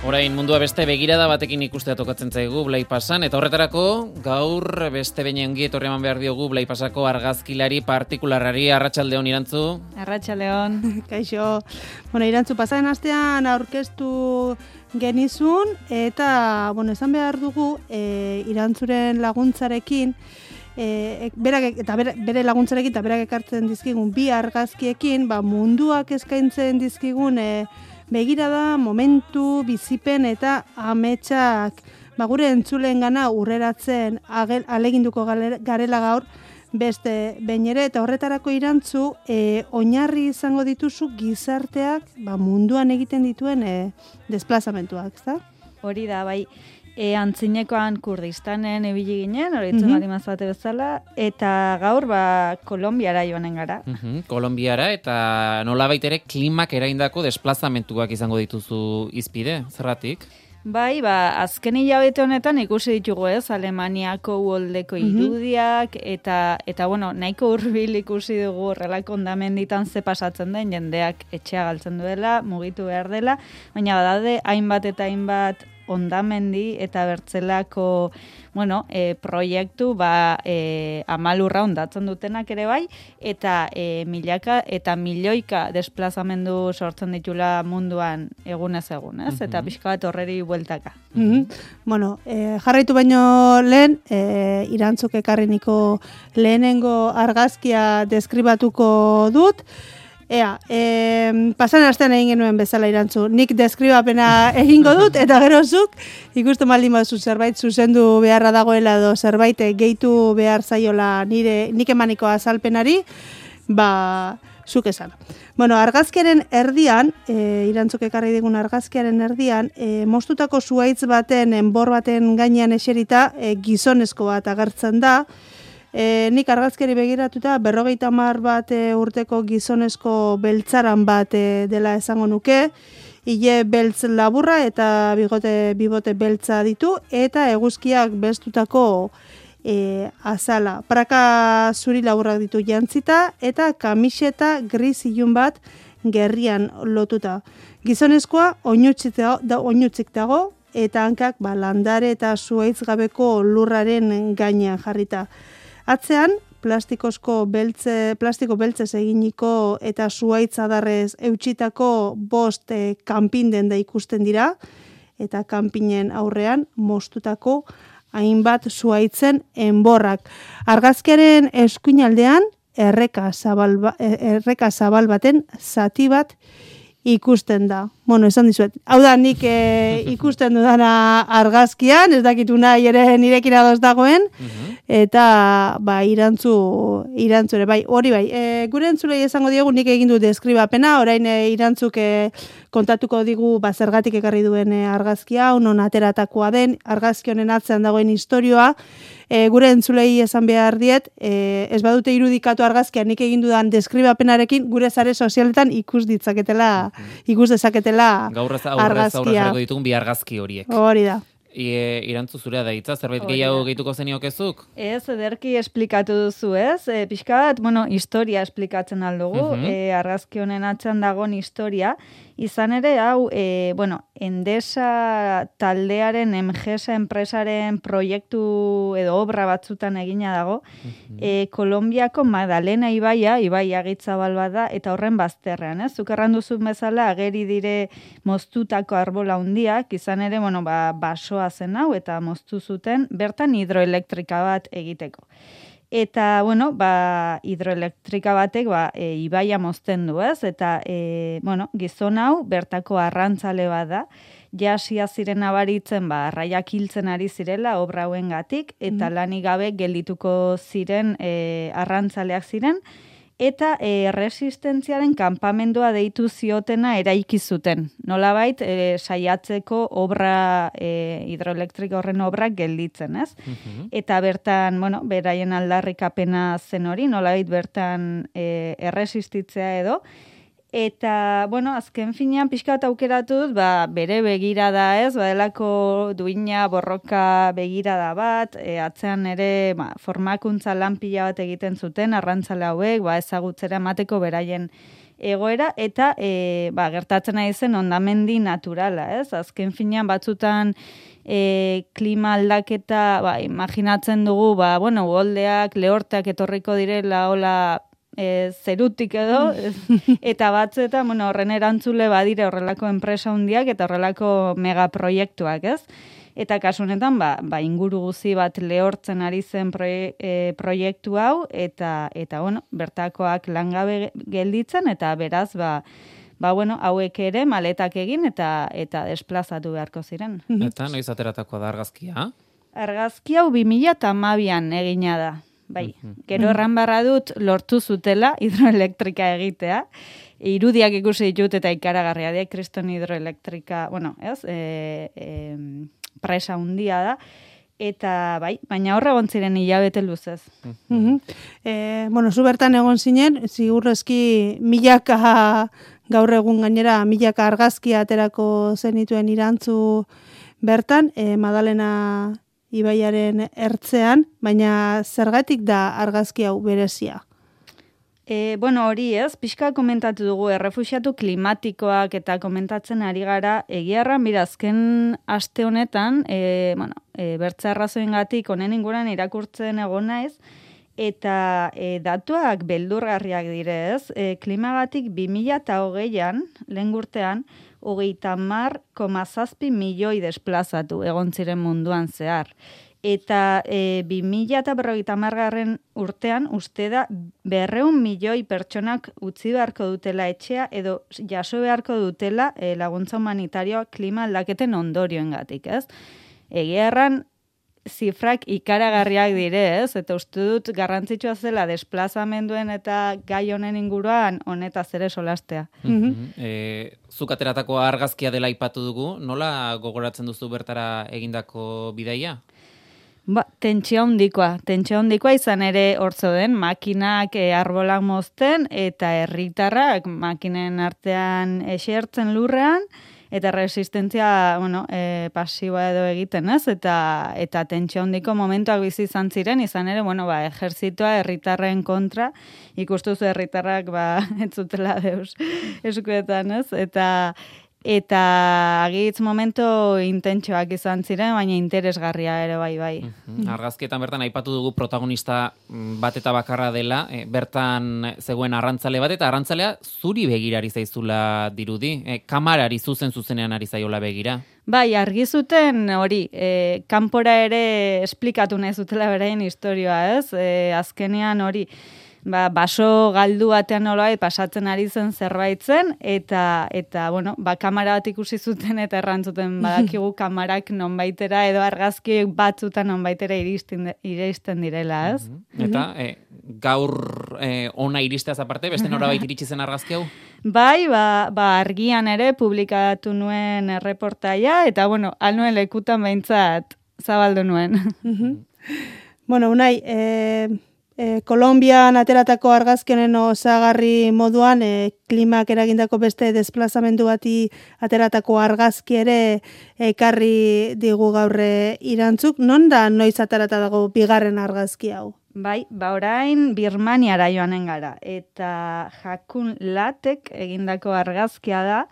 Orain mundua beste begirada batekin ikustea tokatzen zaigu Blai Pasan, eta horretarako gaur beste behin ongi etorri eman behar diogu Blai Pasako argazkilari partikularrari. Arratsaldeon Irantzu. Arratsaldeon. Kaixo. Irantzu pasaren astean aurkeztu genizun eta esan behar dugu Irantzuren laguntzarekin bere laguntzarekin eta berak ekartzen dizkigun bi argazkiekin munduak eskaintzen dizkigun begirada, momentu, bizipen eta ametsak gure entzuleengana urreratzen aleginduko garela gaur beste behin ere, eta horretarako Irantzu oinarri izango dituzu gizarteak munduan egiten dituen desplazamentuak, ezta? Hori da, bai. Antzinekoan Kurdistanen ibili ginen, horitzen baldin mazate bezala, eta gaur Kolonbiara joanen gara. Kolonbiara, eta nolabait ere klimak eraindako desplazamentuak izango dituzu hizpide, zerratik? Bai, azken hilabete honetan ikusi ditugu Alemaniako uholdeko irudiak, eta nahiko hurbil ikusi dugu horrelako hondamenditan ze pasatzen den, jendeak etxea galtzen duela, mugitu behar dela, baina badaude hainbat eta hainbat hondamendi eta bertzelako proiektu amalurra hondatzen dutenak ere bai, eta milaka eta milioika desplazamendu sortzen ditula munduan egunez egunez, eta pixka bat horreri bueltaka. Jarraitu baino lehen, Irantzuk ekarreniko lehenengo argazkia deskribatuko dut. Pasan astean egin genuen bezala Irantzu. Nik deskribapena egingo dut, eta gero zuk ikusten baldin baduzu zerbait zuzendu beharra dagoela edo zerbait gehitu behar zaiola nik emaniko azalpenari, zuk esan. Argazkiaren erdian, Irantzuk ekarri digun argazkiaren erdian, moztutako zuhaitz baten, enbor baten gainean eserita, gizonezko bat agertzen da. Nik argazkeri begiratuta 50 bat urteko gizonezko beltzaran bat dela esango nuke, ile beltz laburra eta bibote beltza ditu, eta eguzkiak belztutako azala. Praka zuri laburrak ditu jantzita, eta kamiseta gris ilun bat gerrian lotuta. Gizonezkoa oinutzik dago, eta hankak landare eta zuhaitz gabeko lurraren gainean jarrita. Atzean, plastiko beltzez eginiko eta zuhaitz adarrez eutxitako 5 kanpin da ikusten dira, eta kanpinen aurrean moztutako hainbat zuhaitzen enborrak. Argazkiaren eskuinaldean erreka zabal baten zati bat ikusten da. Esan dizuet. Hau da, nik ikusten dudana argazkian, ez dakitu nahi ere nirekin adoz dagoen, eta Irantzure, hori bai. Gure entzulei esango diegu nik egin du deskribapena, orain Irantzuk kontatuko digu zergatik ekarri duen argazkia, non ateratakoa den, argazki honen atzean dagoen istorioa. Gure entzulei esan behar diet, ez badute irudikatu argazkia nik egin dudan deskribapenarekin, gure sare sozialetan ikus dezaketela argazkia. Ditugun bi argazki horiek. Hori da. Irantzu zurea da hitza, zerbait gehiago gehituko zeniokezuk? Ez, ederki esplikatu duzu, ez? Pixka bat, historia esplikatzen aldugu, argazki honen atzean dagoen historia, izan ere, hau, Endesa taldearen Emgesa enpresaren proiektu edo obra batzutan egina dago, Kolonbiako Magdalena ibai agitzabal bat da, eta horren bazterrean, ez? Zuk erranduzu bezala, ageri dire moztutako arbola hundiak, izan ere, basoa zen hau, eta moztu zuten, bertan hidroelektrika bat egiteko. Eta, hidroelektrika batek, ibaia mozten du, ez? Eta, gizon hau, bertako arrantzale bat da, jasia ziren abaritzen, arraiak hiltzen ari zirela, obra hauengatik, eta lanik gabe geldituko ziren arrantzaleak ziren, eta resistentziaren kanpamendua deitu ziotena eraiki zuten. Nolabait, saiatzeko obra, hidroelektrika horren obrak gelditzen, ez? Eta bertan, beraien aldarrikapena zen hori, nolabait bertan erresistitzea edo, Eta, azken finean pixka bat aukeratu dut, bere begirada ez, badelako duina borroka begirada bat, atzean ere formakuntza lan pila bat egiten zuten, arrantzale hauek, ezagutzera emateko beraien egoera eta gertatzen ari zen hondamendi naturala, ez? Azken finean batzutan klima aldaketa, imaginatzen dugu, uholdeak, lehorteak etorriko direla, hola, zerutik edo, eta batzuetan, horren erantzule badire horrelako enpresa hundiak eta horrelako megaproiektuak, ez? Eta kasu honetan, inguru guzi bat lehortzen ari zen proiektu hau, eta bertakoak langabe gelditzen, eta beraz, hauek ere maletak egin eta desplazatu beharko ziren. Eta noiz ateratako da argazkia? Argazki hau 2012an egina da. Bai, gero erran barra dut lortu zutela hidroelektrika egitea. Irudiak ikusi ditut eta ikaragarria da, kriston hidroelektrika, presa hundia da. Eta baina horre egon ziren hilabete luzez. Zu bertan egon zinen, zigurrezki milaka gaur egun gainera, milaka argazkia aterako zenituen irantzu bertan, Madalena ibaiaren ertzean, baina zergatik da argazki hau berezia? Hori ez, pixka komentatu dugu, errefuxiatu klimatikoak eta komentatzen ari gara, egiarran azken aste honetan, bertza arrazoengatik honen inguran irakurtzen egon naiz, eta datuak beldurgarriak direz, klimagatik 2020an, lehen urtean, 30,7 milioi desplazatu egon ziren munduan zehar. Eta 2050 urtean uste da 200 milioi pertsonak utzi beharko dutela etxea edo jaso beharko dutela laguntza humanitarioa klima aldaketen ondorioengatik, ez? Egia erran, zifrak ikaragarriak dire, ez? Eta uste dut garrantzitsua zela desplazamenduen eta gai honen inguruan honetaz ere solastea. Zuk ateratako argazkia dela aipatu dugu, nola gogoratzen duzu bertara egindako bidaia? Tentsio handikoa izan ere hortzo den, makinak arbolak mozten eta herritarrak makinen artean esertzen lurrean, eta resistentzia, pasiboa edo egiten, ez? Eta tentsio handiko momentuak bizi izan ziren, izan ere, ejerzitoa herritarren kontra, ikustuzu herritarrak, ez zutela deus eskuetan, ez? Eta agitz momento intentsoak izan ziren, baina interesgarria ere bai. Argazkietan bertan aipatu dugu protagonista bat eta bakarra dela, bertan zegoen arrantzale bat, eta arrantzalea zuri begirari zaizula dirudi, kamarari zuzenean ari zaiola begira. Bai, argi zuten hori, kanpora ere esplikatu nahi zutela beraien historioa, ez? Azkenean hori, baso galdu batean nolabait pasatzen ari zen zerbait zen, eta kamera bat ikusi zuten eta errantzuten badakigu kamarak nonbaitera edo argazki batzutan nonbaitera iristen direla, ez? Eta gaur ona iristeaz aparte, beste norabait iritsi zen argazki hau? Bai, argian ere publikatu nuen erreportaia, eta alnuen lekutan behintzat zabaldu nuen. Unai, Kolonbian ateratako argazkenen osagarri moduan, klimak eragindako beste desplazamendu bati ateratako argazki ere ekarri digu gaurre irantzuk. Non da noiz aterata dago bigarren argazki hau? Bai, orain Birmaniara joanen gara, eta Jakun Latek egindako argazkia da,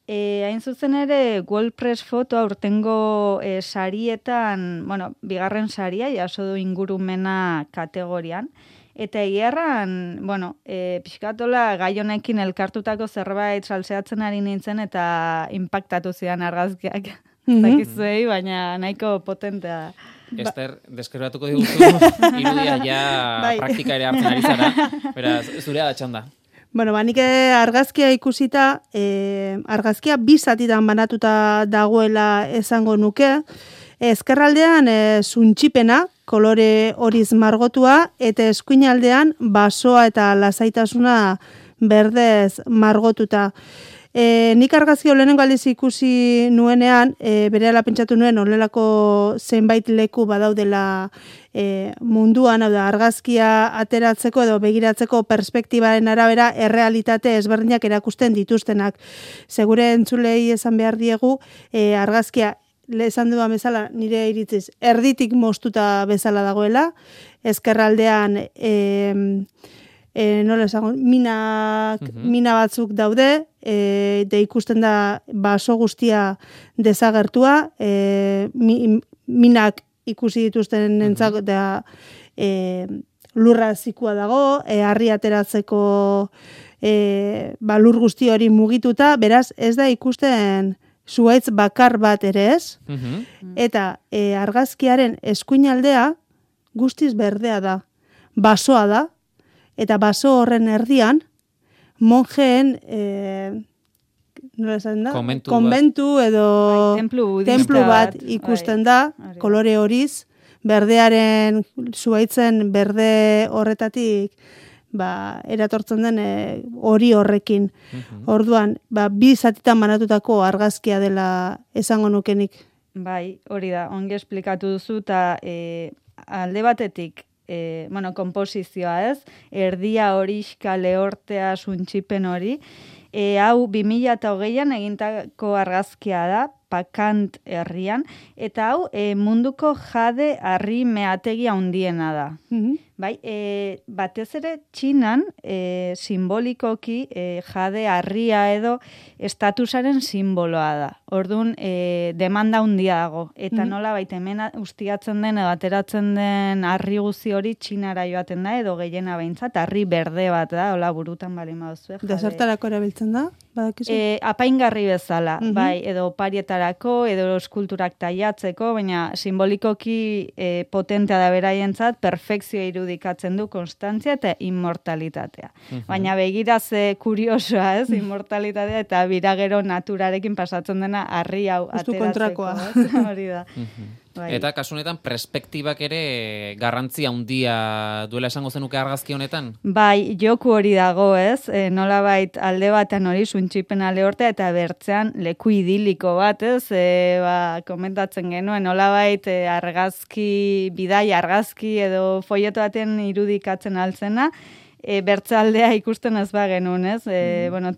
hain zuzen ere WordPress foto aurtengo sarietan, bigarren saria, jaso du ingurumena kategorian, eta egiarran, pixkatola gai honekin elkartutako zerbait salseatzen ari nintzen eta impactatu zidan argazkiak. Zakizuei, baina nahiko potentea da. Ester, deskribatuko diguzu, irudia ja praktika ere hartzen ari zara, beraz, zurea da txanda. Nik argazkia ikusita, argazkia bi zatitan banatuta dagoela esango nuke. Ezkerraldean zuntxipena, kolore horiz margotua, eta eskuinaldean basoa eta lasaitasuna berdez margotuta. Nik argazki lehenengo aldiz ikusi nuenean, berehala pentsatu nuen honelako zenbait leku badaudela munduan, hau da, argazkia ateratzeko edo begiratzeko perspektibaren arabera errealitate ezberdinak erakusten dituztenak. Segure entzulei esan behar diegu, argazkia esan duan bezala, nire iritziz, erditik moztuta bezala dagoela, ezkerraldean nola esango, mina batzuk daude, de ikusten da baso guztia desagertua, minak ikusi dituzten entzak da lurra zikua dago, harri ateratzeko lur guzti hori mugituta, beraz ez da ikusten zuhaitz bakar bat ere ez, eta argazkiaren eskuinaldea guztiz berdea da, basoa da, eta baso horren erdian, monjeen nola esan da? Konbentu edo templu bat ikusten da, kolore horiz, berdearen, zuhaitzen berde horretatik, eratortzen den hori horrekin. Orduan, bi zatitan banatutako argazkia dela esango nukenik. Bai, hori da, ongi esplikatu duzu, eta alde batetik, komposizioa ez, erdia horixka lehortea suntxipen hori, hau 2008an egintako argazkia da, Pakant herrian, eta hau munduko jade harri meategi handiena da. Bai, batez ere Txinan simbolikoki jade harria edo estatusaren simboloa da. Orduan, demanda handia dago. Eta nola baita hemen ustiatzen den edo ateratzen den harri guzi hori Txinara joaten da, edo gehiena behintzat, harri berde bat da, hola burutan bali mauzue. Desertarako erabiltzen da? Apaingarri bezala, bai, edo parietarako, edo eskulturak taiatzeko, baina simbolikoki potentea da beraientzat, perfekzioa irudikatzen du konstantzia eta immortalitatea. Baina begiraz kuriosoa, ez, immortalitatea eta biragero naturarekin pasatzen dena harri hau ateratzeko. Hori da. Bai. Eta kasu honetan perspektibak ere garrantzia handia duela esango zenuke argazki honetan? Bai, joku hori dago, ez? Nolabait alde batean hori suntxipena lehortea eta bertzean leku idiliko bat, ez? Komentatzen genuen, nolabait argazki, bidai argazki edo folleto baten irudikatzen altzena, bertzaldea ikusten ez bagenuen, ez?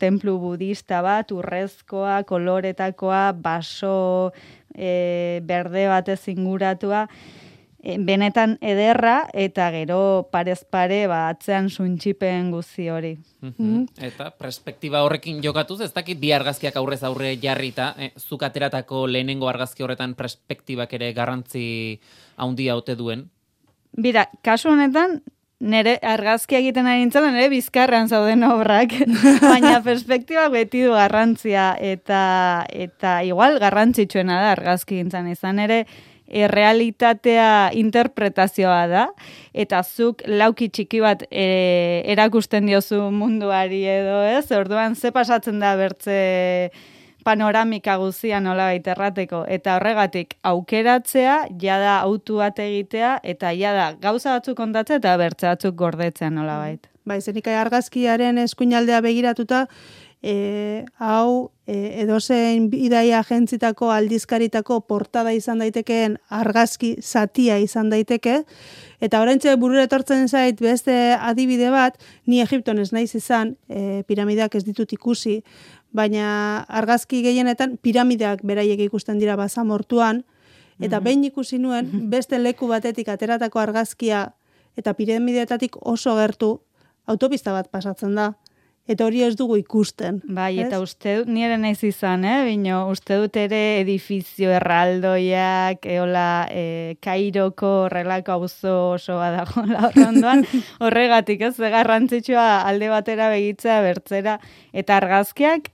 Templu budista bat, urrezkoa, koloretakoa, baso berde batez inguratua, benetan ederra, eta gero parez pare atzean suntxipen guzi hori. Eta perspektiba horrekin jokatuz, ez dakit bi argazkiak aurrez aurre jarrita, zuk ateratako lehenengo argazki horretan perspektibak ere garrantzi handia ote duen? Bira, kasu honetan, nire argazkia egiten ari nintzen, nire bizkarrean zauden obrak, baina perspektiba beti du garrantzia, eta igual garrantzitsuena da argazki gintzen izan ere, realitatea interpretazioa da, eta zuk lauki txiki bat erakusten diozu munduari edo ez, orduan ze pasatzen da bertze panoramika guzia nolabait errateko, eta horregatik aukeratzea, jada autu bat egitea, eta jada gauza batzuk kontatzea eta bertze batzuk gordetzea nolabait. Bai, zenikai argazkiaren eskuinaldea begiratuta, hau edozein bidaia agentzitako aldizkaritako portada izan daitekeen argazki zatia izan daiteke, eta oraintxe burura etortzen zait beste adibide bat, ni Egipton ez naiz izan, piramideak ez ditut ikusi, baina argazki gehienetan piramideak beraiek ikusten dira basamortuan, eta behin ikusi nuen beste leku batetik ateratako argazkia eta piramideetatik oso gertu autopista bat pasatzen da. Eta hori ez dugu ikusten. Bai, eta uste dut, nire naiz izan, bino, uste dut ere edifizio erraldoiak, Kairoko horrelako auzo oso badago horrendoan, horregatik ez, garrantzitsua alde batera begitzea bertzera, eta argazkiak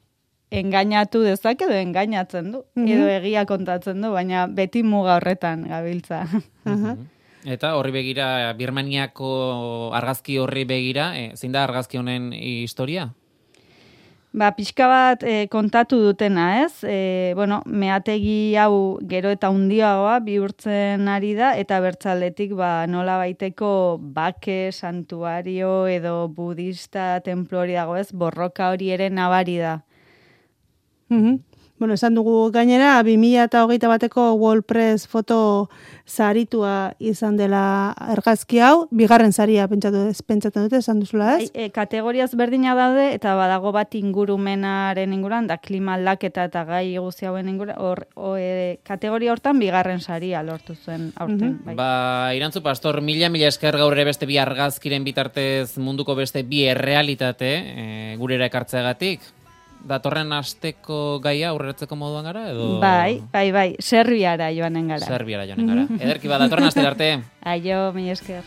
engainatu dezake edo engainatzen du, edo egia kontatzen du, baina beti muga horretan gabiltza. Eta horri begira, Birmaniako argazki horri begira, zein da argazki honen historia? Pixka bat kontatu dutena, ez? Meategi hau gero eta handiagoa bihurtzen ari da, eta bertzaldetik nola baiteko bake, santuario edo budista templo hori dago, ez? Borroka hori ere nabari da. Bueno, esan dugu gainera, 2021ko WordPress foto saritua izan dela argazki hau, bigarren saria pentsatzen dute, esan duzula ez? Kategoriaz berdina daude, eta badago bat ingurumenaren inguruan, da klima aldaketa eta gai guzti hauen inguruan, kategoria hortan bigarren saria lortu zuen aurten. Irantzu Pastor, mila esker gaur ere beste bi argazkiren bitartez munduko beste bi errealitate gurera ekartzeagatik. Datorren asteko gaia aurreratzeko moduan gara, edo? Bai, Serbiara joanen gara. Ederki datorren astera arte. Aio, mila esker.